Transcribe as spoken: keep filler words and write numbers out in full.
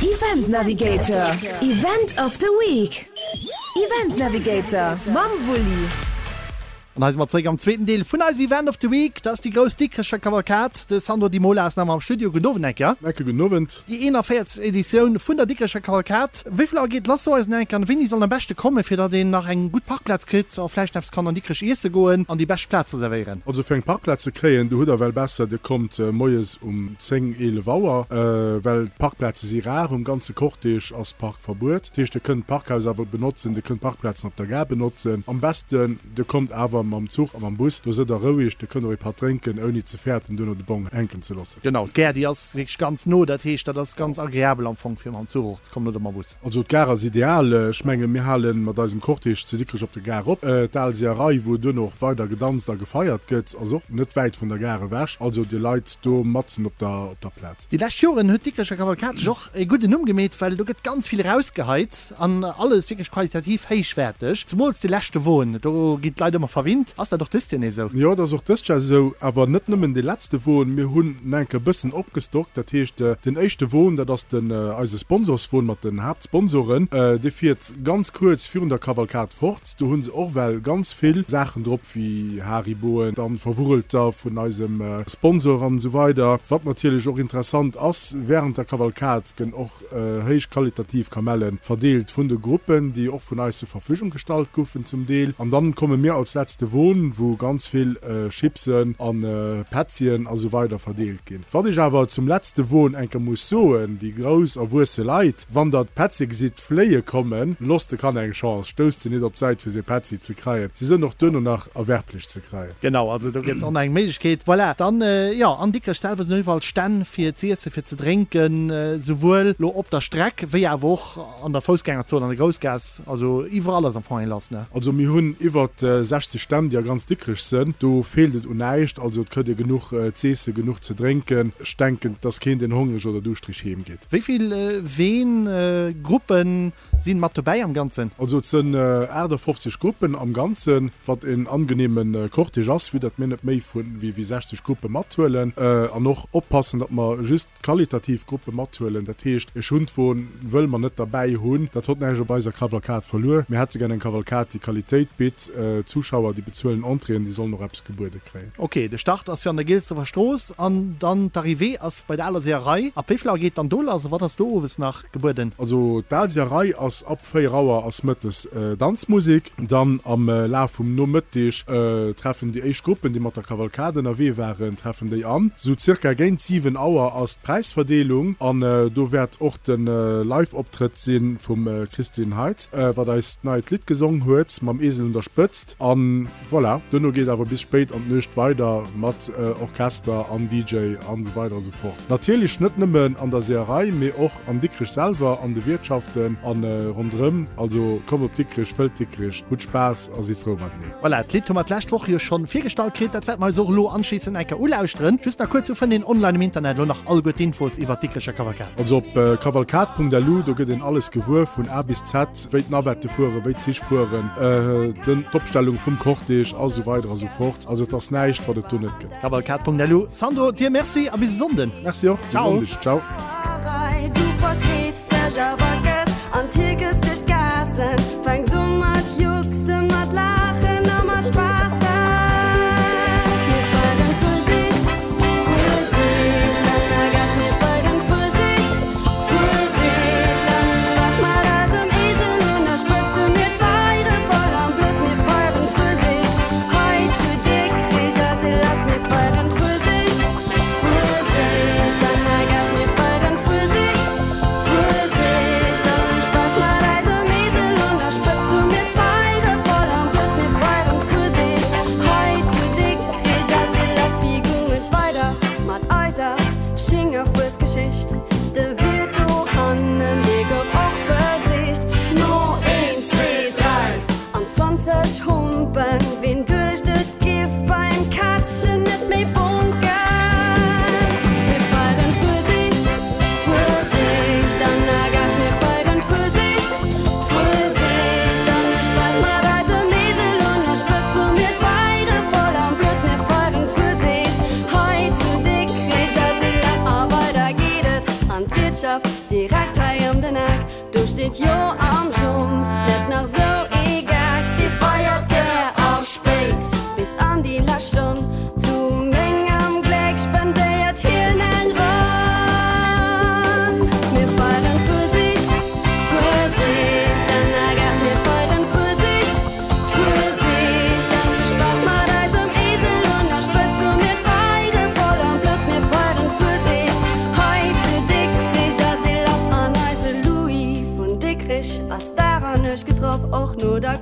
Event Navigator, Event of the Week. Event Navigator mam Wulli. An hei si mer zréck am zweeten Deel vun eisem Event of the Week. Dat ass déi grouss Dikrecher Kavalkad. De Sandro Di Mola ass nach ëmmer am Studio. Gudden Owend enker. Enke gudden Owend. Déi eenanvéierzeg Editioun vun der Dikrecher Kavalkad. Wéi vill Auer geet lass? So eis enker, an wéini soll am beschte kommen, fir datt een nach eng gutt Parkplaz kritt a vläicht eppes kann an Dikrech iesse goen an déi bescht Plaz reservéieren? Also fir eng Parkplaz ze kréien, do hutt der well besser, dir kommt moies um zéng, eelef Auer, well d'Parkplaze si rar. Um ganze Cortège ass Parkverbuet. Dat heescht, dir kënnt d'Parkhaus awer benotzen, dir kënnt d'Parkplazen op der Gare benotzen. Am besten, dir kommt awer mam Zuch a mam Bus, do sidd der roueg, dir kënnt och ee Patt drénken, ouni ze fäerten, duerno de Bong hänken ze loossen. Genau, d'Gare, déi ass wierklech ganz no, dat heescht, dat ass ganz agreabel am Fong, fir mam Zuch och ze kommen oder mam Bus. Also d'Gare ass ideal. Ech menge mir hale mat eisem Cortège zu Dikrech op der Gare op. D'Al Seeërei, wou duerno och weider gedanzt a gefeiert gëtt, ass och net wäit vun der Gare ewech. Also dir leit do matzen op der op der Plaz. Déi lescht Joren huet d'Dikrecher Kavalkad sech och e gudden Numm gemeet, well do gëtt ganz vill erausgeheit an alles wierklech qualitativ héichwäerteg. Zemools de leschte Won, do ginn d'Leit ëmmer verwinnt. Ass dat och dëst Joer nees esou? Jo, dat ass och dëst Joer esou, awer net nëmmen dee letzte Won. Mir hunn nach eng Kéier e bëssen opgestockt. Dat heescht, den éischte Won, dat ass den eise Sponsorswon mat den Haaptsponsoren, dee fiert ganz kuerz virun der Kavalkad fort. Do hu se och well ganz vill Saachen drop, wéi Hariboen, dann Verwurrelter vun eisem Sponsor an esou weider. Wat natierlech och interessant ass, Während der Kavalkad gënn och héich qualitativ Kamellen verdeelt vun de Gruppen, déi och vun eis zur Verfügung gestallt goufen zum Deel. An dann komme mir als letzte Won, wou ganz vill Chipsen an Petzien a sou weider verdeelt ginn. Wat ech awer zum letzte Won eng Kéier muss soen, déi grouss erwuesse Leit, wann der d'Petzie gesitt fléie kommen, loosst de Kanner eng Chance, stousst se nit op d'Säit fir se Petzi ze kreien. Si sënn och duerno nach erwerblech ze kreien. Genau, also do gëtt och nach eng Méiglechkeet. Voilà, dann, jo, an Dikrech selwer sinn iwwerall Stänn fir z'iesse, fir ze drénken, souwuel lo op der Streck wéi awer och an der Foussgängerzon, an der Groussgaass, also iwwerall ass am Fong eng lass, ne? Also mir hunn iwwert sechzeg Stänn, déi a ganz Dikrech sënn. Do feelt et un näischt, also et kritt ee genuch z'eesse, genuch ze drénken. Ech denken, et ass keen, deen hongreg oder duuschtreg heem geet. Wéi vill Ween, Gruppen sinn mat dobäi am Ganzen? Also et sënn aachtafoffzeg Gruppen am Ganzen, wat en angenehmen Cortège ass, vue datt mir net méi vu wéi sechzeg Gruppe mathuelen an och oppassen, datt mer just qualitativ Gruppe mathuelen. Dat heescht, e Schundwon wëlle mer net derbäi hunn, dat hott näischt op eiser Kavalkad verluer. Mir hätte gär eng Kavalkad, déi Qualitéit bitt. D'Zuschauer, déi bezuelen Entréeën, déi sollen och eppes gebuede kréien. Ok, de Start ass jo an der Gilsdrefer Strooss an dann d'Arrivée ass bei der Aler Seeërei. Ab wéi vill Auer geet dann do lass a wat ass do owes nach gebueden? Also d'Al Seeërei ass ab véier Auer ass mëttes Danzmusek. Dann am Laf vum Nomëtteg treffen déi éischt Gruppen, déi mat der Kavalkad ënnerwee waren, treffen déi an. Sou zirka géint siwen Auer ass d'Präisverdeelung an do wäert och de Live-Optrëtt si vum Christine Heidt, wat eist neit Lidd gesong huet, mam Esel un der Spëtzt. An voilà, duerno geet awer bis spéit an d'Nuecht weider mat Orchester an D J an esou weider a sou fort. Natierlech net nëmmen an der Seeërei, mee och an Dikrech selwer, an de Wiertschaften an ronderëm. Also kommt op Dikrech, fëllt Dikrech, hutt Spaass a sidd frou mateneen. Voilà, d'Lidd hu mer d'lescht Woch jo schonn virgestallt kritt. Dat wäerte mer eis och elo anschliissend eng Kéier ulauschteren. Just nach kuerz, wou fënnt een online am Internet elo nach alleguer d'Infos iwwert d'Dikrecher Kavalkad? Also op kavalkad Punkt L U, do gëtt een alles gewuer vun A bis Z, wéi d'Navette fueren, wéi d'Zich fueren, den d'Opstellung vum Cortège a sou weider a sou fort. Also et ass näischt, wat et do net gëtt. Kavalkad Punkt L U. Sandro, dir Merci a bis e Sonnden. Merci och, bis Ciao. Sonndeg. Ciao. Du vertrittst dech awer gëss an tierkels duerch d'Gaassen. Fänks u mat juckse, mat laachen a mat spaassen. Mir feieren Fuesicht, Fuesicht an der Gaass. Mir feieren Fuesicht, Fuesicht an Spaass mat eisem Esel un der Spëtze. Mir feiere voll am Blutt. Mir feieren Fuesicht hei zu Dikrich ass e lass. Mir feieren Fuesicht, Fuesicht an der Gaass. Mir feieren Fuesicht, Fuesicht. Direkt hei ëm den Eck, do steet jo am Jong net nach sou ee Geck. Dee feiert gär a spéit bis an déi lescht Stonn, zu mengem Gléck spendéiert hien eng Ronn. Mir feieren Fuesicht, Fuesicht an der Gaass, mir feieren Fuesicht, Fuesicht an hu Spaass mat eisem Esel un der Spëtzt, hu mir d'Feiere voll am Blutt, mir feieren Fuesicht hei zu Dikrich ass si lass. An eise Louis vun Dikrich ass daran net gedrop, och no der.